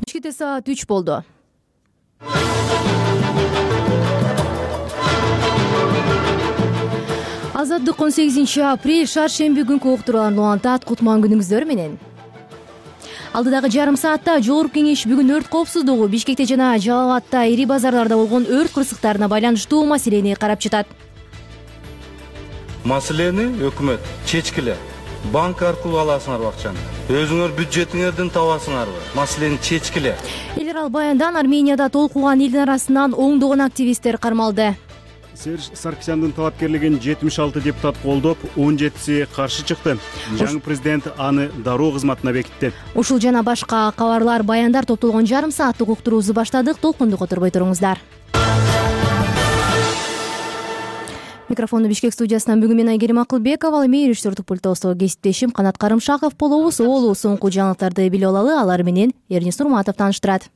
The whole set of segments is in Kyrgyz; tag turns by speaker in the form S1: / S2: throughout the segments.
S1: Бишкекте саат 3 болду. Азаттык 18 шаршемби күнкү уктурууларын улантат. Кутман күнүңүздөр менен. Алдыдагы жарым саатта Жогорку Кеңеш бүгүн өрт коопсуздугу, Бишкекте жана Жалал Абадта ири базарларда болгон өрт кырсыктарына байланыштуу маселени карап жатат.
S2: Маселени өкмөт чечкиле. Банк аркылуу аласыңарбы акчаны? Өзүңөр бюджетиңерден табасыңарбы? Маселени чечкиле.
S1: Эл аралык баяндан Арменияда толкуган элдин арасынан оңдогон активисттер кармалды.
S3: Серж Саркисяндын талапкерлигин 76 депутат колдоп, 17си каршы чыкты. Жаңы президент аны дароо кызматына бекитти.
S1: Ушул жана башка кабарлар, баяндар топтолгон жарым сааттык уктуруубузду баштадык. Толкунду которбой туруңуздар. Микрофонду Бишкек студиясынан бүгүн мен Айгерим Акылбекова, ал эми режиссердик пульттогу кесиптешим Канат Карымшаков болобуз. Олу соңку жаңылыктарды билип алалы, алар менен Эрнис Урматов тааныштырат.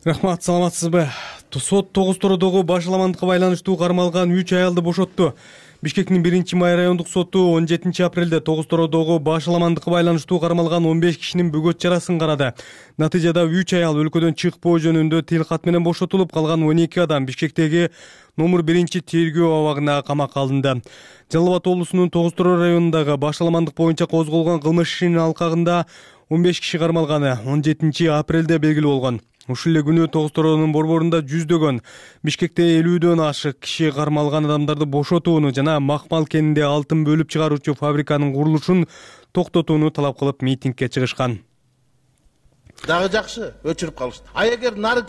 S4: Рахмат, саламатсызбы? Сот Тогуз-Тородогу башаламандыкка байланыштуу кармалган 3 аялды бошотту. Бишкектин 1-май райондук соту 17-апрелде Тогуз-Тородогу башаламандыкка байланыштуу кармалган 15 кишинин бөгөт чарасын карады. Натыйжада 3 аял өлкөдөн чыкпоо жөнүндө тил кат менен бошотулуп, калган 12 адам Бишкектеги номер 1-тергөө абагына камакка алынды. Жалал Абад облусунун Тогуз-Тороо районундагы башаламандык боюнча козголгон кылмыш ишинин алкагында 15 киши кармалганы 17-апрелде белгилүү болгон. Ушул эле күнү Тогуз-Тороонун борборунда жүздөгөн, Бишкекте 50дөн ашык киши кармалган адамдарды бошотууну жана Макмал кенинде алтын бөлүп чыгаруучу фабриканын курулушун токтотууну талап кылып митингге чыгышкан.
S5: Дагы жакшы өчүрүп калышты. Эгер нары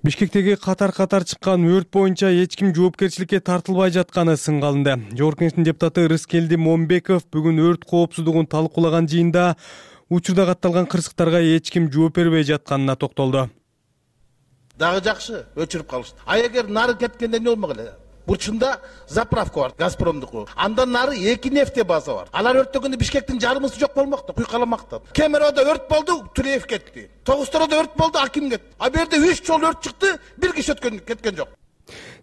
S4: Бишкектеги катар чыккан өрт боюнча эч ким жоопкерчиликке тартылбай жатканы сынга алынды. Жогорку Кеңештин депутаты Рыскелди Момбеков бүгүн өрт коопсуздугун талкуулаган жыйында учурда катталган кырсыктарга эч ким жооп бербей жатканына токтолду.
S5: Дагы жакшы өчүрүп калышты. Эгер нары кеткенде эмне болмок эле? Бурчунда заправка бар, Газпромдуку. Андан нары 2 нефте база бар. Алар өрттөгөндө Бишкектин жарымысы жок болмокту, куйкаламакта. Кемеровдо өрт болду, Туреев кетти. Тогуз-Тородо өрт болду, Аким кетти. А бу жерде 3 жолу өрт чыкты, бир киши кеткен жок.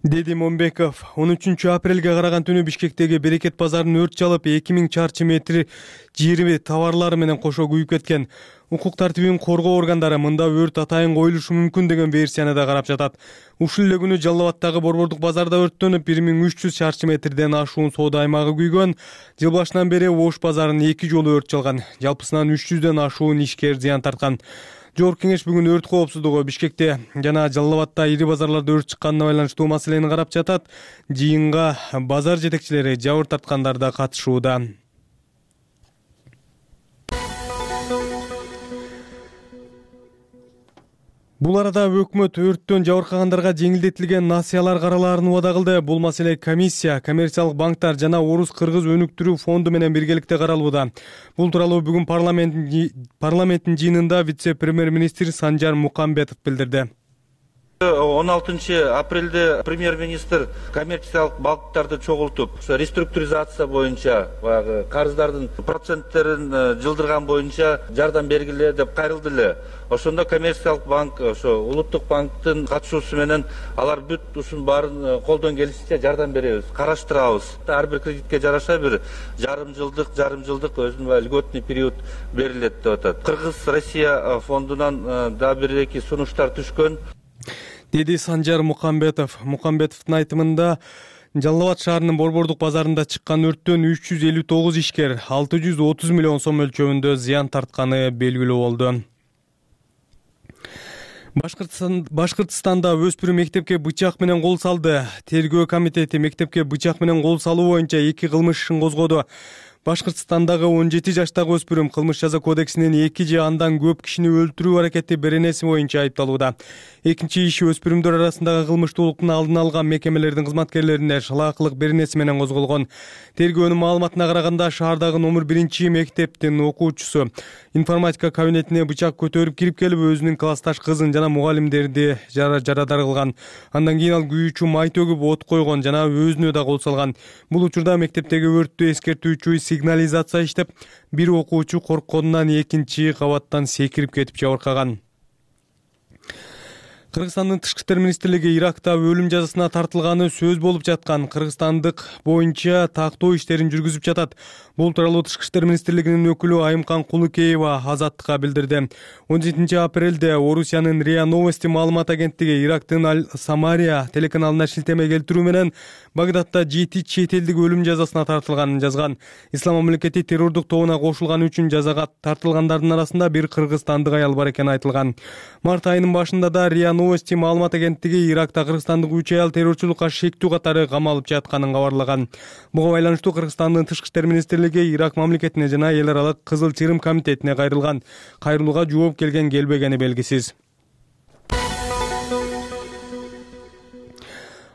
S4: Деди Момбеков. 13-апрелге караган түнү Бишкектеги Берекет базарын өрт чалып, 2000 чарчы метр жери товарлары менен кошо күйүп кеткен. Укук тартибин коргоо органдары мында өрт атайын коюлушу мүмкүн деген версияны да карап жатат. Ушул эле күнү Жалал Абадтагы борбордук базарда өрттөнүп, 1300 чарчы метрден ашуун соода аймагы күйгөн. Жыл башынан бери Ош базарын 2 жолу өрт чалган. Жалпысынан 300дөн ашуун ишкер зыян тарткан. Жогорку Кеңеш бүгүн өрт коопсуздугу, Бишкекте жана Жалал Абадта ири базарларда өрт чыкканына байланыштуу маселени карап жатат. Жыйынга базар жетекчилери, жабыр тарткандар да катышууда. Бул арада өкмөт өрттөн жабыркагандарга жеңилдетилген насыялар каралаарын убада кылды. Бул маселе комиссия, коммерциялык банктар жана Орус-Кыргыз өнүктүрүү фонду менен биргеликте каралууда. Бул тууралуу бүгүн парламенттин жыйынында вице-премьер-министр Санжар Мукамбетов билдирди.
S2: 16-апрелде премьер-министр коммерциялык банктарды чогултуп, реструктуризация боюнча баягы карыздардын проценттерин жылдырган боюнча жардам бергиле деп кайрылды эле. Ошондо коммерциялык банк, ошо улуттук банктын катышуусу менен алар бүт ушун баарын колдон келишинче жардам беребиз, караштырабыз. Ар бир кредитке жараша бир жарым жылдык өзүнүн льготный период берилет деп атат. Кыргыз-Россия фондунан да бир-эки сунуштар түшкөн.
S4: Деди Санжар Мукамбетов. Мукамбетовдун айтымында Жалал Абад шаарынын борбордук базарында чыккан өрттөн 359 ишкер 630 миллион сом мөлчөбүндө зыян тартканы белгилүү болду. Башкыртстанда өспүрүм мектепке бычак менен кол салды. Тергөө комитети мектепке бычак менен кол салуу боюнча 2 кылмыш ишин козгоду. Башкыртстандагы 17 жаштагы өспүрүм кылмыш жаза кодексинин 2 же андан көп кишини өлтүрүү аракети беренеси боюнча айыпталууда. Экинчи иши өспүрүмдөр арасындагы кылмыштуулуктун алдын алган мекемелердин кызматкерлерине шалаакылык беренеси менен козголгон. Тергөөнүн маалыматына караганда шаардагы номер 1 мектептин окуучусу информатика кабинетине бычак көтөрүп кирип келип, өзүнүн классташ кызын жана мугалимдерди жарадар кылган. Андан кийин ал күйүүчү май төгүп от койгон жана өзүнө да кол салган. Бул учурда мектептеги өрттү эскертүүчү сигнализация иштеп, бир окуучу коркконунан экинчи кабаттан секирип кетип жабыркаган. Кыргызстандын тышкы иштер министрлиги Иракта өлүм жазасына тартылганы сөз болуп жаткан кыргызстандык боюнча тактоо иштерин жүргүзүп жатат. Бул тууралуу тышкы иштер министрлигинин өкүлү Айымкан Кулукеева Азаттыкка билдирди. 17 апрелде Орусиянын РИА Новости маалымат агенттиги Ирактын Аль-Самария телеканалына шилтеме келтирүү менен Багдадта 7 чет элдик өлүм жазасына тартылганын жазган. Ислам мамлекети террордук тобуна кошулганы үчүн жазага тартылгандардын арасында бир кыргызстандык аял бар экени айтылган. Март айынын башында да РИА Новости маалымат агенттиги Иракта кыргызстандык 3 аял террорчулукка шектүү катары камалып жатканын кабарлаган. Буга байланыштуу Кыргызстандын тышкы иштер министрлиги Ирак мамлекетине жана эл аралык Кызыл Чырым комитетине кайрылган. Кайрылууга жооп келбегени белгисиз.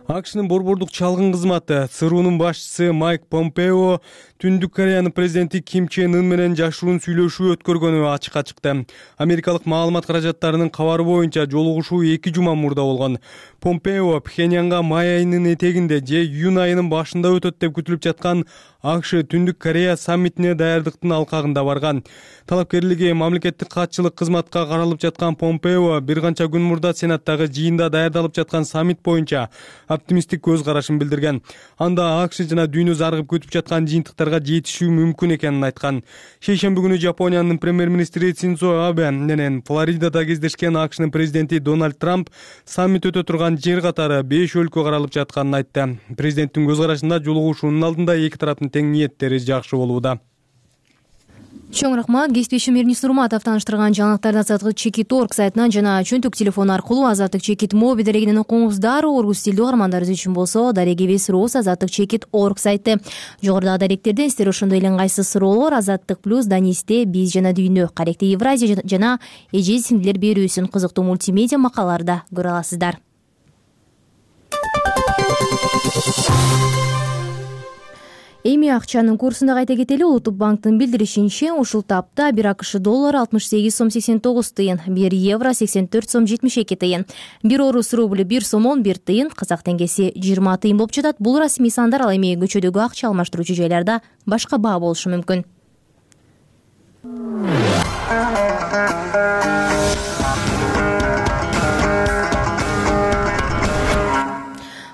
S4: АКШнын борбордук чалгын кызматы ЦРУнун башчысы Майк Помпео Түндүк Кореянын президенти Ким Чен Ын менен жашыруун сүйлөшүү өткөргөнү ачыкка чыкты. Америкалык маалымат каражаттарынын кабары боюнча жолугушуу 2 жума мурда болгон. Помпео Пхеньянга май айынын этегинде же июнь айынын башында өтөт деп күтүлүп жаткан АКШ Түндүк Корея саммитине даярдыктын алкагында барган. Талапкерлиги мамлекеттик катчылык кызматка каралып жаткан Помпео бир канча күн мурда Сенаттагы жыйында даярдалып жаткан саммит боюнча оптимисттик көз карашын билдирген. Анда АКШ жана дүйнө зарыгып күтүп жаткан жыйынтыктарга жетишүү мүмкүн экенин айткан. Шейшемби күнү Жапониянын премьер-министри Синдзо Абе менен Флоридада кездешкен АКШнын президенти Дональд Трамп саммит өтө турган жер катары 5 өлкө каралып жатканын айтты. Президенттин көз карашында жолугушуунун алдында эки тараптын тең ниеттери жакшы болууда.
S1: Чоң рахмат. Кесиптешим Эрнис Нурматов тааныштырган жаңылыктарды Азаттык Чекит орг сайтынан жана чөнтүк телефон аркылуу Азаттык Чекит моби дарегинен окуңуздар. Орус тилдүү угармандарыбыз үчүн болсо дарегибиз рус Азаттык Чекит орг сайты. Жогорудагы даректерден сиздер ошондой эле ыңгайсыз суроолор Азаттык плюс Данисте биз жана дүйнө каректи Евразия жана эже сиңдилер берүүсүн кызыктуу мультимедиа макалаларда көрө аласыздар. Эми акчанын курсунда кайта кетели. Улуттук банктын билдиришинче, ушул тапта 1 АКШ доллары 68 сом 89 тыйын, 1 евро 84 сом 72 тыйын, 1 орус рубль 1 сом 11 тыйын, казак теңгеси 20 тыйын болуп жатат. Бул расмий сандар, ал эми көчөдөгү акча алмаштыруучу жайларда башка баа болушу мүмкүн.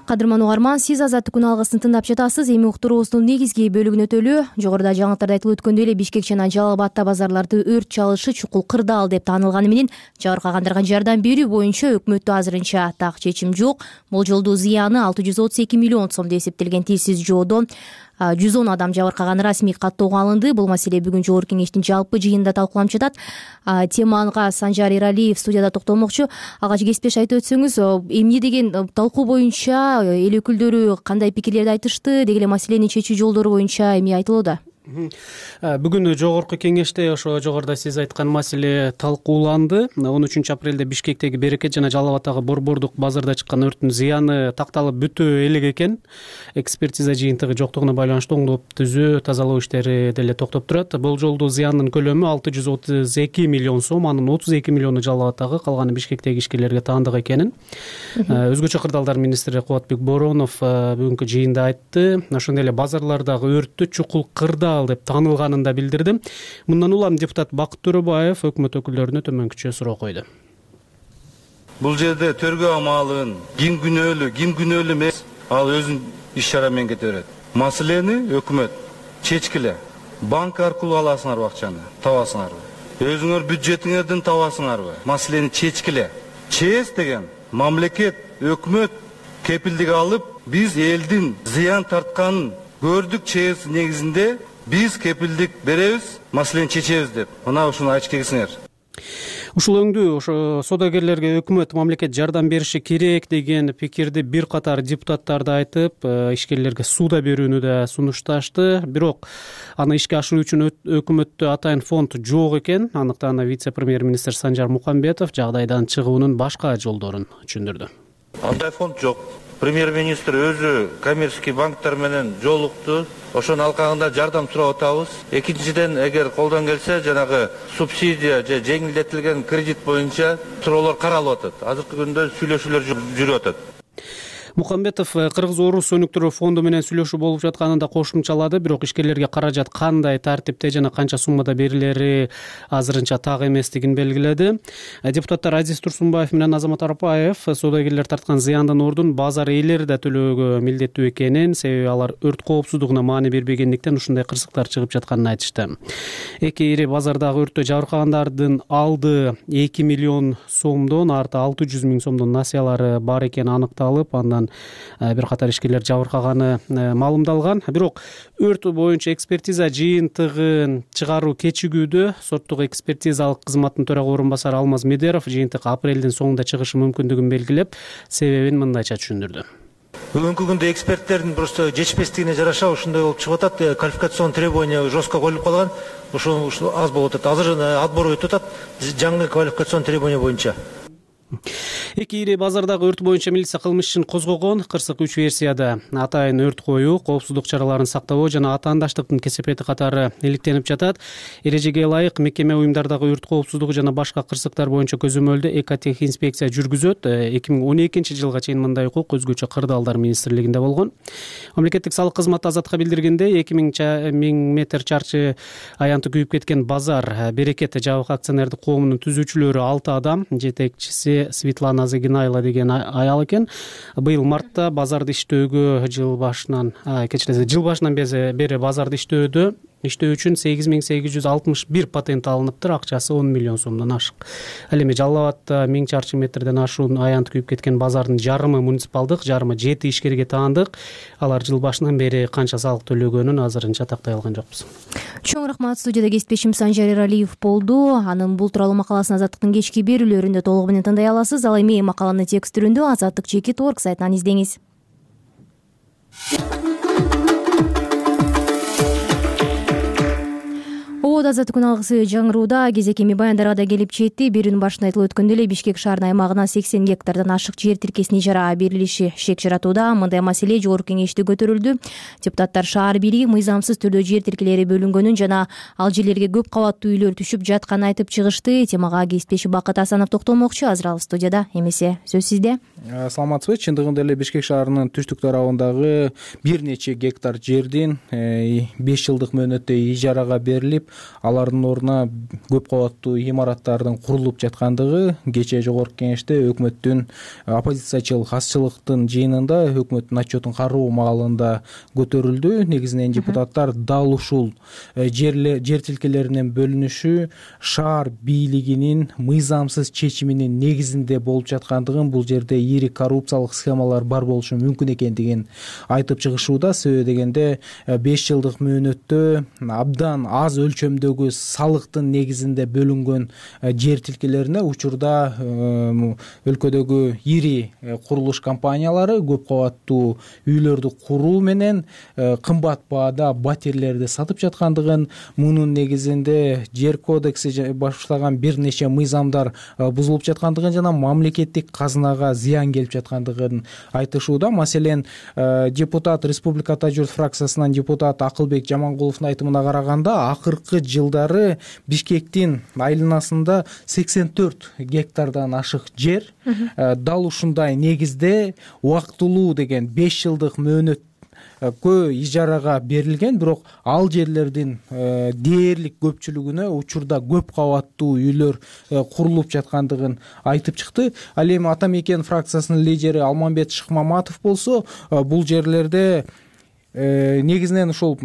S1: Кадырман угарман, сиз Азаттык күн алгысын тыңдап жатасыз. Эми уктуруубуздун негизги бөлүгүнө өтөлү. Жогоруда жаңылыктарда айтылып өткөндөй эле Бишкек жана Жалал Абадта базарларды өрт чалышы чукул кырдаал деп таанылганы менен жабыркагандарга жардам берүү боюнча өкмөттө азырынча так чечим жок. Болжолдуу зыяны 632 миллион сом деп эсептелген. Тилсиз жоодон 110 адам жабыркаганы расмий каттоого алынды. Бул маселе бүгүн Жогорку Кеңештин жалпы жыйынында талкууланып жатат. Темага Санжар Иралиев студияда токтолмокчу. Алгач кесиптеш айтып өтсөңүз, эмне деген талкуу боюнча эл өкүлдөрү кандай пикирлерди айтышты, деги эле маселени чечүү жолдору боюнча эмне айтылууда?
S6: Бүгүн Жогорку Кеңеште ошо жогоруда сиз айткан маселе талкууланды. 13 апрелде Бишкектеги Берекет жана Жалал Абадтагы борбордук базарда чыккан өрттүн зыяны такталып бүтө элек экен. Экспертиза жыйынтыгы жоктугуна байланыштуу оңдоп түзөө, тазалоо иштери деле токтоп турат. Болжолдуу зыяндын көлөмү 632 миллион сом, анын 32 миллиону Жалал Абадтагы, калганы Бишкектеги ишкерлерге таандык экенин өзгөчө кырдаалдар министри Кубатбек Боронов бүгүнкү жыйында айтты. Ошондой эле базарлардагы өрттү чукул кырдаал деп таанылганын да билдирди. Мындан улам депутат Бакыт Төрөбаев өкмөт өкүлдөрүнө төмөнкүчө суроо койду.
S2: Бул жерде төргө амалын ким күнөөлүү эмес, ал өзүнүн иш чара менен кете берет. Маселени өкмөт чечкиле. Банк аркылуу аласыңарбы акчаны, табасыңарбы? Өзүңөр бюджетиңерден табасыңарбы? Маселени чечкиле. ЧС деген мамлекет, өкмөт кепилдик алып, биз элдин зыян тартканын көрдүк. ЧС негизинде биз кепилдик беребиз, маселени чечебиз деп. Мына ушуну айтып келсеңер.
S6: Ушул өңдүү ошо содагерлерге өкмөт мамлекет жардам бериши керек деген пикирди бир катар депутаттар да айтып, ишкерлерге сууда берүүнү да сунушташты. Бирок аны ишке ашыруу үчүн өкмөттө атайын фонд жок экен. Аныктан вице-премьер-министр Санжар Мукамбетов жагдайдан чыгуунун башка жолдорун түшүндүрдү.
S2: Андай фонд жок. Премьер-министр өзү коммерческий банктар менен жолукту. Ошонун алкагында жардам сурап атабыз. Экинчиден, эгер колдон келсе, жанагы субсидия же жеңилдетилген кредит боюнча суроолор каралып атат. Азыркы күндө сүйлөшүүлөр жүрүп атат.
S6: Мукамбетов Кыргыз-Орус өнүктүрүү фонду менен сүйлөшүү болуп жатканын да кошумчалады. Бирок ишкерлерге каражат кандай тартипте жана канча суммада берилери азырынча так эместигин белгиледи. Депутаттар Азиз Турсунбаев менен Азамат Арапаев соодагерлер тарткан зыяндын ордун базар ээлери да төлөөгө милдеттүү экенин, себеби алар өрт коопсуздугуна маани бербегендиктен ушундай кырсыктар чыгып жатканын айтышты. Эки ири базардагы өрттө жабыркагандардын алды 2 миллион сомдон, арты 600 миң сомдон насыялары бар экени аныкталып, андан бир катар ишкерлер жабыркаганы маалымдалган. Бирок өрт боюнча экспертиза жыйынтыгын чыгаруу кечигүүдө. Соттук экспертизалык кызматтын төрага орун басары Алмаз Медеров жыйынтык апрелдин соңунда чыгышы мүмкүндүгүн белгилеп, себебин мындайча түшүндүрдү.
S7: Бүгүнкү күндө эксперттердин просто жетишпестигине жараша ушундай болуп чыгып атат. Квалификацион требования жестко коюлуп калган. Ошо аз болуп атат. Азыр отбор өтүп атат жаңы квалификацион требования боюнча.
S6: Эки ири базардагы өрт боюнча милиция кылмыш ишин козгогон. Кырсык 3 версияда атайын өрт коюу, коопсуздук чараларын сактабоо жана атаандаштыктын кесепети катары иликтенип жатат. Эрежеге ылайык мекеме уюмдардагы өрт коопсуздугу жана башка кырсыктар боюнча көзөмөлдө экотехинспекция жүргүзөт. 2012 жылга чейин мындай укук өзгөчө кырдаалдар министрлигинде болгон. Мамлекеттик салык кызматы Азатка билдиргендей, 2000 метр чарчы аянты күйүп кеткен базар Берекет жабык акционердик коомунун түзүүчүлөрү 6 адам, жетекчиси Светлана Загинайла деген аял экен. Быйыл мартта базарды иштөөгө жыл башынан бери базарды иштөө үчүн 8861 патент алыныптыр. Акчасы 10 миллион сомдон ашык. Ал эми Жалал Абадта 1000 чарчы метрден ашуун аянт күйүп кеткен базардын жарымы муниципалдык, жарымы 7 ишкерге таандык. Алар жыл башынан бери канча салык төлөгөнүн азырынча тактай алган жокпуз.
S1: Чоң рахмат. Студияда кесиптешим Санжар Эралиев болду. Анын бул тууралуу макаласын Азаттыктын кечки берүүлөрүндө толугу менен тыңдай аласыз. Ал эми макаланы текст түрүндө Азаттык.org сайтынан издеңиз. Азаттыктын алгысы жаңырууда кезек эми баяндарга да келип жетти. Берүүнүн башында айтылып өткөндөй эле Бишкек шаарынын аймагына 80 гектардан ашык жер тиркесин ижарага берилиши шек жаратууда. Мындай маселе жогорку кеңеште көтөрүлдү. Депутаттар шаар бийлиги мыйзамсыз түрдө жер тиркелери бөлүнгөнүн жана ал жерлерге көп кабаттуу үйлөр түшүп жатканын айтып чыгышты. Темага кесиптеши Бакыт Асанов токтолмокчу. Азыр ал студияда, эмесе сөз сизде.
S8: Саламатсызбы? Чындыгында эле Бишкек шаарынын түштүк тарабындагы бир нече гектар жердин 5 жылдык мөөнөттө ижарага берилип, алардын ордуна көп кабаттуу имараттардын курулуп жаткандыгы кечээ жогорку кеңеште өкмөттүн оппозициячыл хасчылыктын жыйынында өкмөттүн отчетун кароо маалында көтөрүлдү. Негизинен депутаттар дал ушул жер тилкелеринин бөлүнүшү шаар бийлигинин мыйзамсыз чечиминин негизинде болуп жаткандыгын, бул жерде ири коррупциялык схемалар бар болушу мүмкүн экендигин айтып чыгышууда. Себеби дегенде 5 жылдык мөөнөттө абдан аз өлчөмдөгү салыктын негизинде бөлүнгөн жер тилкелерине учурда өлкөдөгү ири курулуш компаниялары көп кабаттуу үйлөрдү куруу менен кымбат баада батирлерди сатып жаткандыгын, мунун негизинде жер кодекси башлаган бир нече мыйзамдар бузулуп жаткандыгын жана мамлекеттик казынага зыян келип жаткандыгын айтышууда. Маселен, депутат Республиката журт фракциясынан депутат Акылбек Жамангуловдун айтымына караганда, акыркы жылдары Бишкектин айланасында 84 гектардан ашык жер дал ушундай негизде убактылуу деген 5 жылдык мөөнөткө ижарага берилген. Бирок ал жерлердин дээрлик көпчүлүгүнө учурда көп кабаттуу үйлөр курулуп жаткандыгын айтып чыкты. Ал эми Ата Мекен фракциясынын лидери Алмамбет Шыкмаматов болсо, бул жерлерде негизинен ушул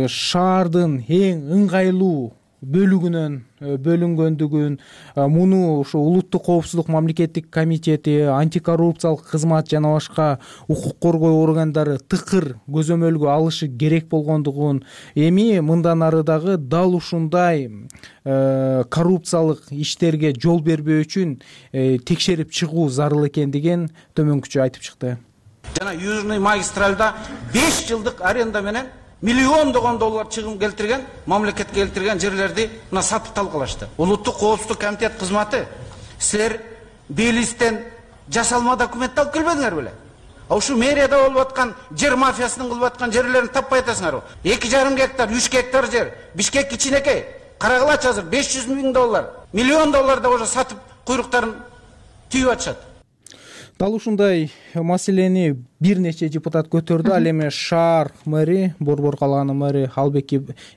S8: шаардын эң ыңгайлуу бөлүгүнөн бөлүнгөндүгүн, муну ушу улуттук коопсуздук мамлекеттик комитети, антикоррупциялык кызмат жана башка укук коргоо органдары тыкыр көзөмөлгө алышы керек болгондугун, эми мындан ары дагы дал ушундай коррупциялык иштерге жол бербөө үчүн текшерип чыгуу зарыл экендигин төмөнкүчө айтып чыкты.
S9: Жана Южный магистральда 5 жылдык аренда менен миллиондогон доллар чыгым келтирген, мамлекетке келтирген жерлерди мына сатып талкалашты. Улуттук коопсуздук комитет кызматы, силер Белистен жасалма документ алып келбедиңер беле? Ушу мэрияда болуп аткан жер мафиясынын кылып аткан жерлерин таппай атасыңарбы? 2,5 гектар, 3 гектар жер, Бишкек кичинекей. Карагылачы азыр 500 миң доллар, миллион доллар да уже сатып куйруктарын түйүп атышат.
S8: дал ушундай маселени бир нече депутат көтөрдү. Ал эми шаар мэри, Борбор калаанын мэри Албек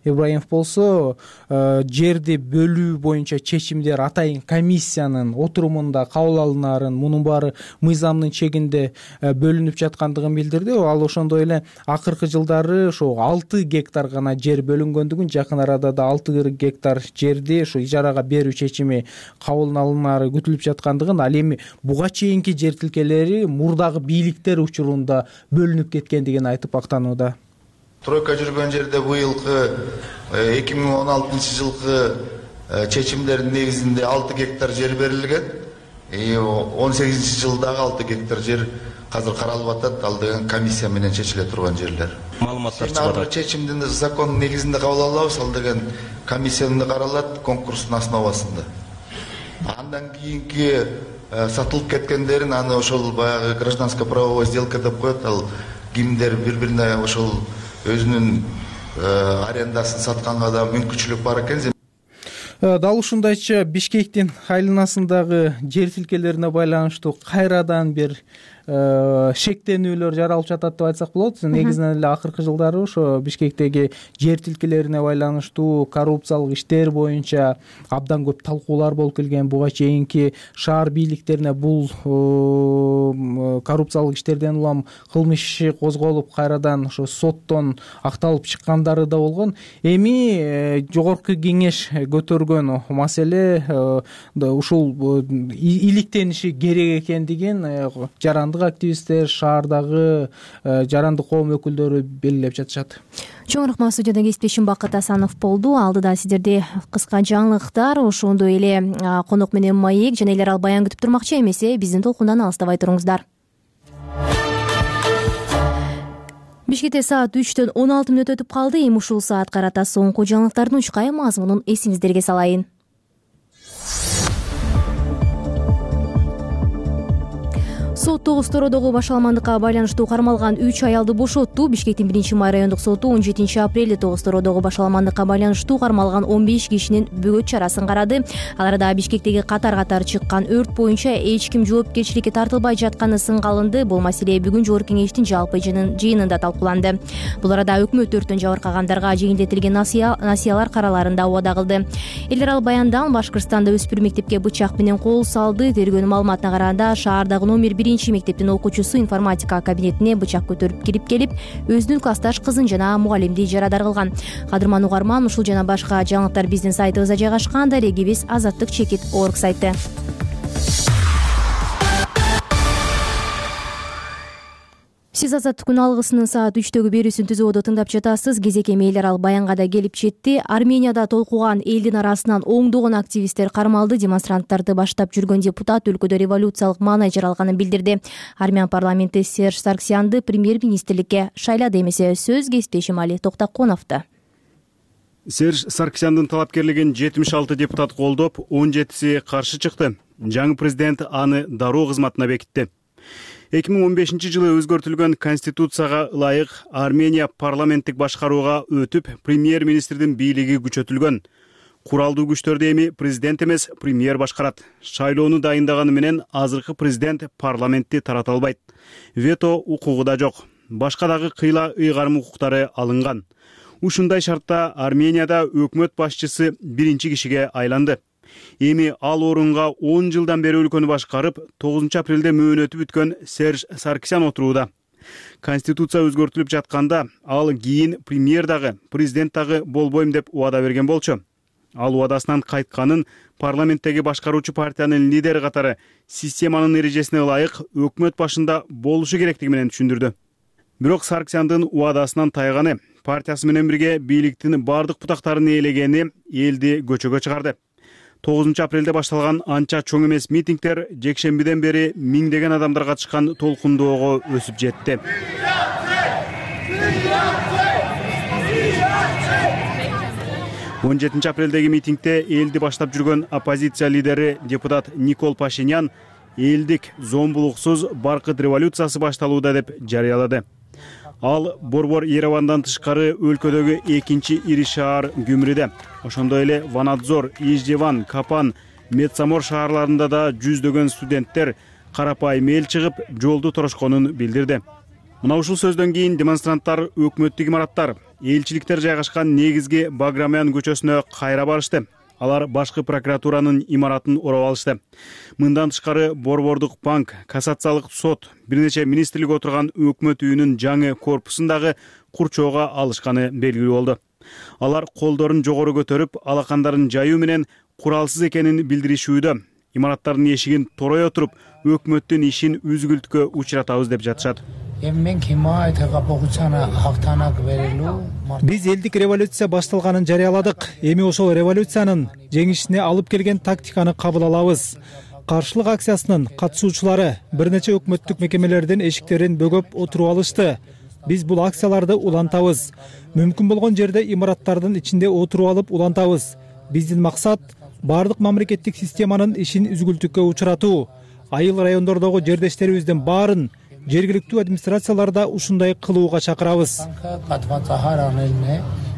S8: Ибраимов болсо жерди бөлүү боюнча чечимдер атайын комиссиянын отурумунда кабыл алынарын, мунун баары мыйзамдын чегинде бөлүнүп жаткандыгын билдирди. Ал ошондой эле акыркы жылдары ошо 6 гектар гана жер бөлүнгөндүгүн, жакын арада да 6 гектар жерди ошо ижарага берүү чечими кабыл алынары күтүлүп жаткандыгын, ал эми буга чейинки жер тилкелери мурдагы бийликтер учурунда бөлүнүп кеткендигин айтып актанууда.
S10: Тройка жүргөн жерде быйылкы 2016 жылкы чечимдердин негизинде 6 гектар жер берилген. 18 жылдагы 6 гектар жер азыр каралып атат. Ал деген комиссия менен чечиле турган жерлер.
S7: Маалыматтар чыгат.
S10: Чечимди закон негизинде кабыл алабыз. Ал деген комиссияда каралат конкурстун основасында. Андан кийинки сатылып кеткендерин аны ошол баягы гражданско-правовой сделка деп коет. Ал кимдер бири-бирине ошол өзүнүн арендасын сатканга да мүмкүнчүлүк бар экен.
S8: Дал ушундайча Бишкектин айланасындагы жер тилкелерине байланыштуу кайрадан бир шектенүүлөр жаралып жатат деп айтсак болот. Негизинен эле акыркы жылдары ошо Бишкектеги жер тилкелерине байланыштуу коррупциялык иштер боюнча абдан көп талкуулар болуп келген. Буга чейинки шаар бийликтерине бул коррупциялык иштерден улам кылмыш иши козголуп, кайрадан ошо соттон акталып чыккандары да болгон. Эми жогорку кеңеш көтөргөн маселе ушул иликтениши керек экендигин жарандык активисттер, шаардагы жарандык коом өкүлдөрү белгилеп жатышат.
S1: Чоң рахмат. Студияда кесиптешим Бакыт Асанов болду. Алдыда сиздерде кыска жаңылыктар, ошондой эле конок менен маек жана элер ал баян күтүп турмакчы. Эмесе биздин толкундан алыстабай туруңуздар. Бишкекте саат 3-төн 16 мүнөт өтүп калды. Эми ушул саат карата соңку жаңылыктардын учкай мазмунун эсиңиздерге салайын. Сот Тогуз-Тородогу башаламандыкка байланыштуу кармалган 3 аялды бошотту. Бишкектин 1-май райондук соту 17 апрелде Тогуз-Тородогу башаламандыкка байланыштуу кармалган 15 кишинин бөгөт чарасын карады. Аларда Бишкектеги катар-катар чыккан өрт боюнча эч ким жоопкерчиликке тартылбай жатканы сынга алынды. Бул маселе бүгүн жогорку кеңештин жалпы жыйынында талкууланды. Бул арада өкмөт өрттөн жабыркагандарга жеңилдетилген насыялар караларын да убада кылды. Элдер ал баяндан Башкыртстанда өспүрүм мектепке бычак менен кол салды. Тергөөнүн маалыматына караганда шаардагы номер 1 мектептин окуучусу информатика кабинетине бычак көтөрүп кирип келип, өзүнүн классташ кызын жана мугалимди жарадар кылган. Кадырман угарман, ушул жана башка жаңылыктар биздин сайтыбызда жайгашкан. Дарегибиз Азаттык чекит орг сайты. Сиз Азаттык күн алгысынын саат 3-төгү берүүсүн түзөөдө тыңдап жатасыз. Кезек эми элер ал баянга да келип жетти. Арменияда толкуган элдин арасынан оңдогон активисттер кармалды. Демонстранттарды баштап жүргөн депутат өлкөдө революциялык маанай жаралганын билдирди. Армян парламенти Серж Сарксянды премьер-министрликке шайлады. Эмесе сөз кесиптешим Али Токтаконовдо.
S3: Серж Сарксяндын талапкерлигин 76 депутат колдоп, 17си каршы чыкты. Жаңы президент аны дароо кызматына бекитти. 2015 жылы өзгөртүлгөн конституцияга ылайык Армения парламенттик башкарууга өтүп, премьер-министрдин бийлиги күчөтүлгөн. Куралдуу күчтөрдү эми президент эмес, премьер башкарат. Шайлоону дайындаганы менен азыркы президент парламентти тарата албайт. Вето укугу да жок. Башка дагы кыйла ыйгарым укуктары алынган. Ушундай шартта Арменияда өкмөт башчысы биринчи кишиге айланды. Эми ал орунга 10 жылдан бери өлкөнү башкарып, 9 апрелде мөөнөтү бүткөн Серж Сарксян отурууда. Конституция өзгөртүлүп жатканда, ал кийин премьер дагы, президент дагы болбойм деп убада берген болчу. Ал убадасынан кайтканын парламенттеги башкаруучу партиянын лидери катары системанын эрежесине ылайык өкмөт башында болушу керектиги менен түшүндүрдү. Бирок Сарксяндын убадасынан тайганы, партиясы менен бирге бийликтин бардык бутактарын ээлегени элди көчөгө чыгарды. 9 апрелде башталган анча чоң эмес митингдер жекшембиден бери миңдеген адамдар катышкан толкундоого өсүп жетти. 17 апрелдеги митингде элди баштап жүргөн оппозиция лидери депутат Никол Пашинян элдик зомбулуксуз баркыт революциясы башталууда деп жарыялады. Ал Борбор Еревандан тышкары өлкөдөгү экинчи ири шаар Гүмрүдө. Ошондой эле Ванадзор, Иждеван, Капан, Метсамор шаарларында да жүздөгөн студенттер карапайым эл чыгып жолду торошконун билдирди. Мына ушул сөздөн кийин демонстранттар өкмөттүк имараттар, элчиликтер жайгашкан негизги Баграмян көчөсүнө кайра барышты. Алар башкы прокуратуранын имаратын ороп алышты. Мындан тышкары Борбордук банк, кассациялык сот, бир нече министрлик отурган өкмөт үйүнүн жаңы корпусундагы курчоого алышканы белгилүү болду. Алар колдорун жогору көтөрүп, алакандарын жаюу менен куралсыз экенин билдиришүүдө. Имараттардын эшигин torой отуруп, өкмөттүн ишин үзгүлткө учуратабыз деп жатышат.
S11: Биз элдик революция башталганын жарыяладык. Эми ошол революциянын жеңишине алып келген тактиканы кабыл алабыз. Каршылык акциясынын катышуучулары бир нече өкмөттүк мекемелердин эшиктерин бөгөп отуруп алышты. Биз бул акцияларды улантабыз. Мүмкүн болгон жерде имараттардын ичинде отуруп алып улантабыз. Биздин максат бардык мамлекеттик системанын ишин үзгүлтүккө учуратуу. Айыл райондордогу жердештерибиздин баарын жергиликтүү администрацияларда ушундай кылууга чакырабыз.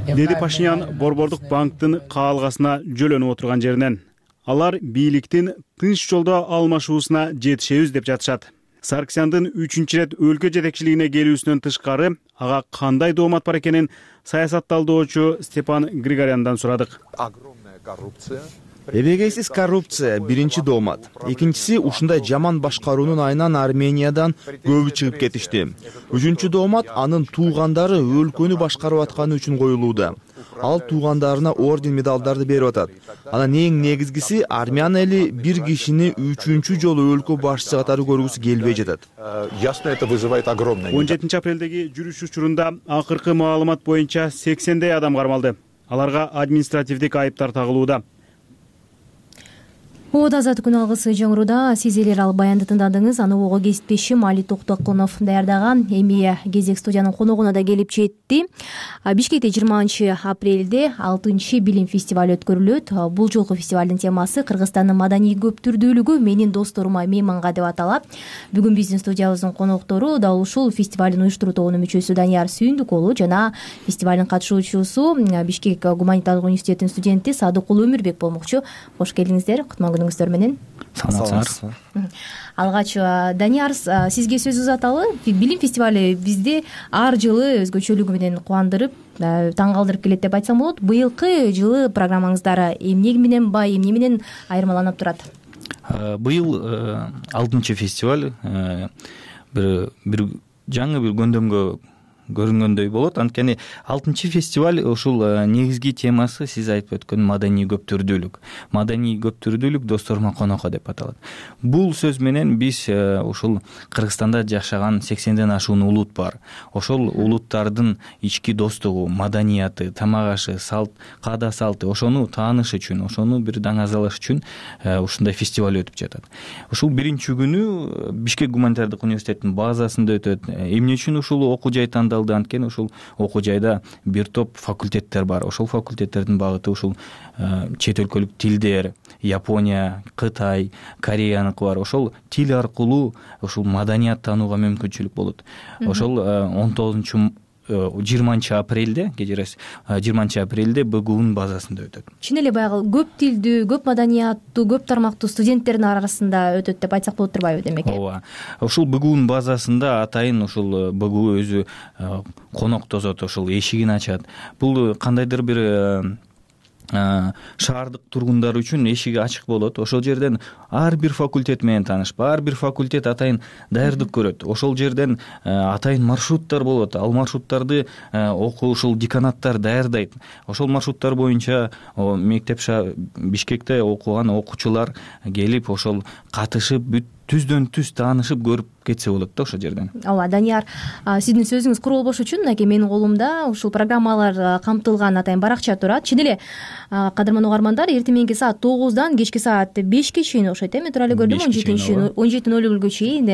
S3: Деди Пашинян Борбордук банктын каалгасына жөлөнүп отурган жеринен. Алар бийликтин тынч жолдо алмашуусуна жетишебиз деп жатышат. Саркисяндын 3-чү рет өлкө жетекчилигине келүүсүнөн тышкары ага кандай доомат бар экенин саясатталдоочу Степан Григоряндан сурадык.
S12: Эбегейсиз коррупция биринчи доомат. Экинчиси ушундай жаман башкаруунун айынан Армениядан көбү чыгып кетишти. Үчүнчү доомат анын туугандары өлкөнү башкарып атканы үчүн коюлууда. Ал туугандарына орден медалдарды берип атат. Анан эң негизгиси армян эли бир кишини 3-чү жолу өлкө башчысы катары көргүсү келбей жатат.
S3: 17 апрелдеги жүрүш учурунда акыркы маалымат боюнча 80дей адам кармалды. Аларга административдик айыптар тагылууда.
S1: Ода азат күн алгысы жаңыруда сиз элер ал баянды тыңдадыңыз. Аны ого кесиптешим Али Токтокунов даярдаган. Эми кезек студиянын коногуна да келип жетти. Бишкекте 20 апрелде 6 билим фестиваль өткөрүлөт. Бул жолку фестивалдын темасы Кыргызстандын маданий көптүрдүүлүгү менин досторума мейманга деп аталат. Бүгүн биздин студиябыздын коноктору дал ушул фестивалдын уюштуруу тобунун мүчөсү Данияр Сүйүндүк уулу жана фестивалдын катышуучусу Бишкек гуманитардык университетинин студенти Садыкулуу Өмүрбек болмокчу. Кош келдиңиздер. Күнүңүздөр менен.
S12: Саламатсызбы.
S1: Алгач Данияр, сизге сөз узаталы. Билим фестивали бизди ар жылы өзгөчөлүгү менен кубандырып, таң калтырып келет деп айтсам болот. Быйылкы жылы программаңыздар эмне менен бай, эмне менен айырмаланып турат?
S13: Быйыл 6-чы фестиваль бир жаңы бир көндөмгө көрүнгөндөй болот. Анткени 6-чы фестиваль ушул негизги темасы сиз айтып өткөн маданий көптүрдүүлүк. Маданий көптүрдүүлүк досторума конокко деп аталат. Бул сөз менен биз ушул Кыргызстанда жашаган 80ден ашуун улут бар. Ошол улуттардын ички достугу, маданияты, тамак ашы, салт, каада салты, ошону тааныш үчүн, ошону бир даңазалаш үчүн ушундай фестиваль өтүп жатат. Ушул биринчи күнү Бишкек гуманитардык университетинин базасында өтөт. Эмне үчүн ушул окуу жай тандалды? Анткени ушул окуу жайда бир топ факультеттер бар. Ошол факультеттердин багыты ушул чет өлкөлүк тилдер, Япония, Кытай, Кореяныкы бар. Ошол тил аркылуу ушул маданият таанууга мүмкүнчүлүк болот. Ошол 20 апрелде, кечиресиз, 20 апрелде БГУнун базасында өтөт.
S1: Чын эле баягы көп тилдүү, көп маданияттуу, көп тармактуу студенттердин арасында өтөт деп айтсак болот турбайбы демек?
S13: Ооба. Ушул БГУнун базасында атайын ушул БГУ өзү конок тосот, ушул эшигин ачат. Бул кандайдыр бир шаардык тургундар үчүн эшиги ачык болот. Ошол жерден ар бир факультет менен таанышып, ар бир факультет атайын даярдык көрөт. Ошол жерден атайын маршруттар болот. Ал маршруттарды ушул деканаттар даярдайт. Ошол маршруттар боюнча мектеп Бишкекте окуган окуучулар келип, ошол катышып, түздөн түз таанышып көрүп кетсе болот да ошол жерден.
S1: Ооба, Данияр, сиздин сөзүңүз кур болбош үчүн мынакей менин колумда ушул программалар камтылган атайын баракча турат. Чын эле кадырман угармандар, эртең саат 9-дан кечки саат 5ке чейин окшойт, эми тура эле көрдүм 17:00 чейин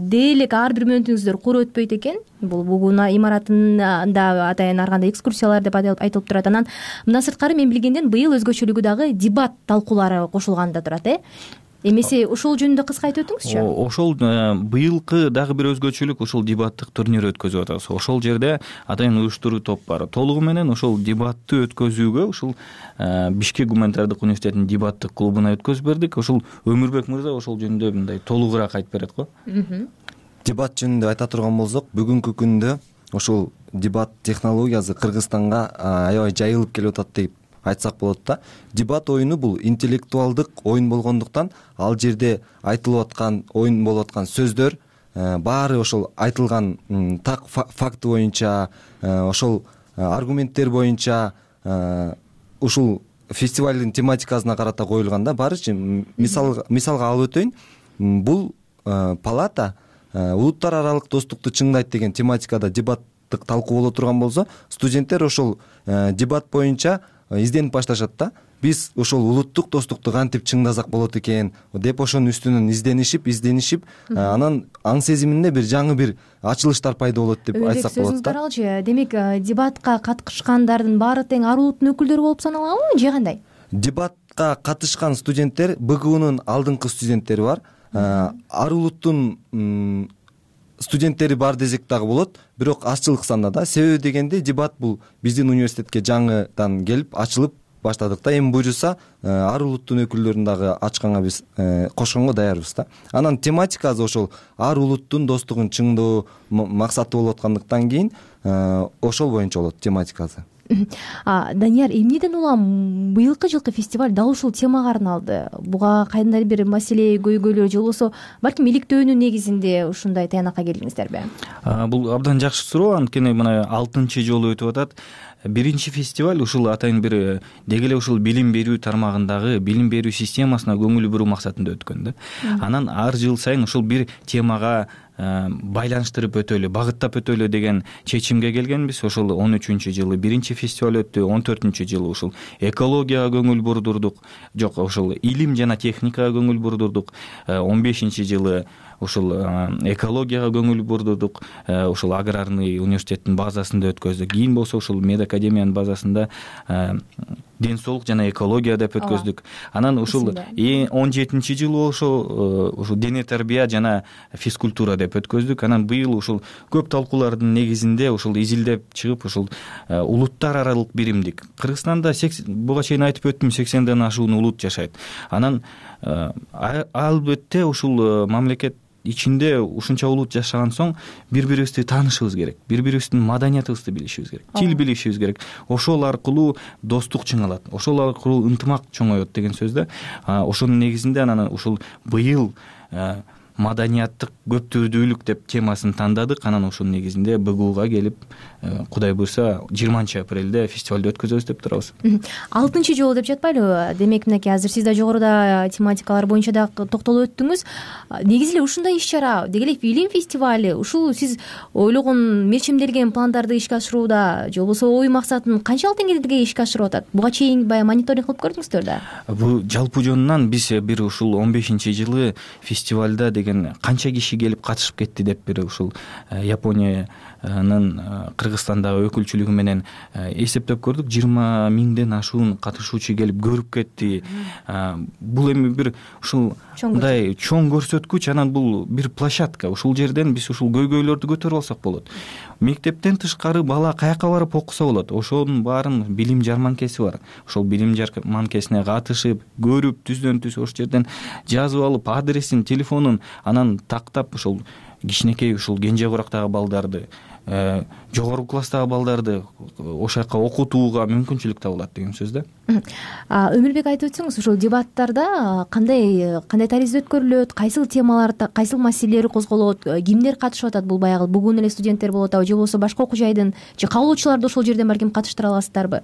S1: дээлек ар бир мүнөтүңүздөр кур өтпөйт экен. Бул бүгүн имаратында атайын ар кандай экскурсиялар деп айтылып турат. Анан мындан сырткары мен билгенден быйыл өзгөчөлүгү дагы дебат талкуулары кошулган да турат, Эмесе ошол жөнүндө кыска айтып өтүңүзчү.
S13: Ошол быйылкы дагы бир өзгөчөлүк ушул дебаттык турнир өткөзүп атабыз. Ошол жерде атайын уюштуруу топ бар. Толугу менен ошол дебатты өткөзүүгө ушул Бишкек гуманитардык университетинин дебаттык клубуна өткөзүп бердик. Ошол Өмүрбек мырза ошол жөнүндө мындай толугураак айтып берет го.
S14: Дебат жөнүндө айта турган болсок, бүгүнкү күндө ошол дебат технологиясы Кыргызстанга аябай жайылып келип атат деп айтсак болот да. Дебат оюну бул интеллектуалдык оюн болгондуктан ал жерде айтылып аткан, оюн болуп аткан сөздөр баары ошол айтылган так факты боюнча, ошол аргументтер боюнча ушул фестивалдын тематикасына карата коюлган да. Баарычы мисалга алып өтөйүн. Бул палата улуттар аралык достукту чыңдайт деген тематикада дебаттык талкуу боло турган болсо, студенттер ошол дебат боюнча изденип башташат да. Биз ошол улуттук достукту кантип чыңдасак болот экен деп ошонун үстүнөн изденишип, анан аң сезиминде бир жаңы бир ачылыштар пайда болот деп айтсак болот да.
S1: Сөзүңүздү демек дебатка катышкандардын баары тең ар улуттун өкүлдөрү болуп саналабы же кандай?
S14: Дебатка катышкан студенттер БГУнун алдыңкы студенттери бар. Ар улуттун студенттери бар десек дагы болот, бирок азчылык санда да. Себеби дегенде дебат бул биздин университетке жаңыдан келип ачылып баштадык да. Эми буюрса ар улуттун өкүлдөрүн дагы ачканга биз кошконго даярбыз да. Анан тематикасы ошол ар улуттун достугун чыңдоо максаты болуп аткандыктан кийин ошол боюнча болот тематикасы.
S1: Данияр, эмнеден улам быйылкы жылкы фестиваль дал ушул темага арналды? Буга кандайдыр бир маселе көйгөйлөр же болбосо балким иликтөөнүн негизинде ушундай таянакка келдиңиздерби?
S13: Бул абдан жакшы суроо. Анткени мына 6-чы жолу өтүп атат. Биринчи фестиваль ушул атайын бир деги эле ушул билим берүү тармагындагы билим берүү системасына көңүл буруу максатында өткөн да. Анан ар жыл сайын ушул бир темага байланыштырып өтөлү, багыттап өтөлү деген чечимге келгенбиз. Ошол 13-чү жылы биринчи фестиваль өттү, 14-чү жылы ушул экологияга көңүл бурдурдук, жок ошол илим жана техникага көңүл бурдурдук, 15-чи жылы ушул экологияга көңүл бурдурдук, ушул аграрный университеттин базасында өткөздүк. Кийин болсо ушул медакадемиянын базасында ден соолук жана экология деп өткөздүк. Анан ушул 17-чи жылы ушул дене тарбия жана физкультура деп өткөздүк. Анан быйыл ушул көп талкуулардын негизинде ушул изилдеп чыгып ушул улуттар аралык биримдик. Кыргызстанда буга чейин айтып өттүм, 80ден ашуун улут жашайт. Анан албетте ушул мамлекет ичинде ушунча улут жашаган соң бири-бирибизди таанышыбыз керек, бири-бирибиздин маданиятыбызды билишибиз керек, тил билишибиз керек. Ошол аркылуу достук чыңалат, ошол аркылуу ынтымак чоңоет деген сөз да. Ошонун негизинде анан ушул быйыл маданияттык көптүрдүүлүк деп темасын тандадык. Анан ошонун негизинде БГУга келип, Кудай буйрса 20-апрелде фестивалды өткөзөбүз деп турабыз.
S1: 6-чы жолу деп жатпайлыбы? Демек мынакей азыр сиз да жогоруда тематикалар боюнча да токтолуп өттүңүз. Негизи эле ушундай иш-чара, деги эле фильм фестивали, ушул сиз ойлогон, мерчемделген пландарды ишке ашырууда же болбосо ой максатын канчалык деңгээлде ишке ашырып атат? Буга чейин баягы мониторинг кылып көрдүңүздөр да? Бул
S13: жалпы жөнүнөн биз бир ушул 15-чи жылы фестивалда канча киши келип катышып кетти деп бир ушул Япониянын Кыргызстандагы өкүлчүлүгү менен эсептеп көрдүк. 20 миңден ашуун катышуучу келип көрүп кетти. Бул эми бир ушул мындай чоң көрсөткүч. Анан бул бир площадка. Ушул жерден биз ушул көйгөйлөрдү көтөрүп алсак болот. Мектептен тышкары бала каяка барып окуса болот. Ошонун баарын билим жарманкеси бар. Ошол билим жарманкесине катышып, көрүп, түздөн түз ошол жерден жазып алып, адресин, телефонун анан тактап ошол кичинекей ушул кенже курактагы балдарды, жогорку класстагы балдарды ошол жака окутууга мүмкүнчүлүк табылат деген сөз да.
S1: Өмүрбек айтып өтсөңүз, ушул дебаттарда кандай таризде өткөрүлөт, кайсыл темаларда, кайсыл маселелер козголот, кимдер катышып атат? Бул баягы бүгүн эле студенттер болуп атабы же болбосо башка окуу жайдын же кабылуучуларды ошол жерден балким катыштыра аласыздарбы?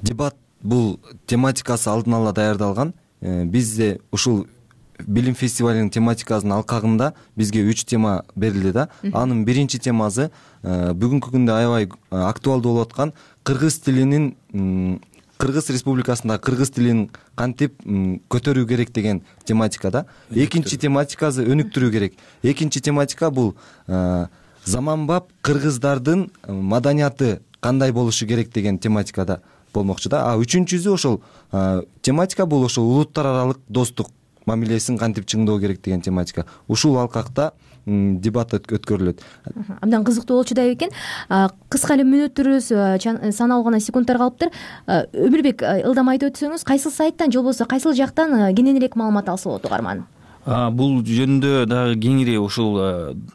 S14: Дебат бул тематикасы алдын ала даярдалган. Бизде ушул билим фестивалынын тематикасынын алкагында бизге 3 тема берилди да. Анын биринчи темасы бүгүнкү күндө аябай актуалдуу болуп аткан кыргыз тилинин, Кыргыз Республикасында кыргыз тилин кантип көтөрүү керек деген тематика да. Экинчи тематикасы өнүктүрүү керек. Экинчи тематика бул заманбап кыргыздардын маданияты кандай болушу керек деген тематикада болмокчу да. Үчүнчүсү ошол тематика бул ошол улуттар аралык достук мамилесин кантип чыңдоо керек деген тематика. Ушул алкакта дебат өткөрүлөт.
S1: Абдан кызыктуу болчу да экен. Кыска эле мүнөттөрүбүз саналуу гана секундтар калыптыр. Өмүрбек, ылдам айтып өтсөңүз, кайсыл сайттан же болбосо кайсыл жактан кененирээк маалымат алса болот угарман?
S13: Бул жөнүндө дагы кеңири ушул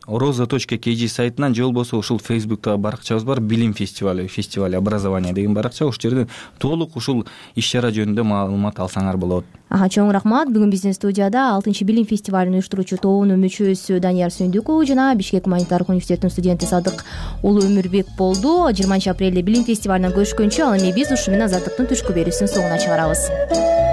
S13: roza.kg сайтынан же болбосо ушул Facebook'тагы баракчабыз бар, билим фестивали образования деген баракча. Ушул жерден толук ушул иш-чара жөнүндө маалымат алсаңар болот.
S1: Чоң рахмат. Бүгүн биздин студияда 6-билим фестивалын уюштуруучу тобунун мүчөсү Данияр Сүйүндүков жана Бишкек Гуманитардык университетинин студенти Садык уулу Өмүрбек болду. 20 апрелде билим фестивалынан көрүшкөнчө, ал эми биз ушу менен Азаттыктын түшкү берүүсүнүн соңуна чыгарабыз.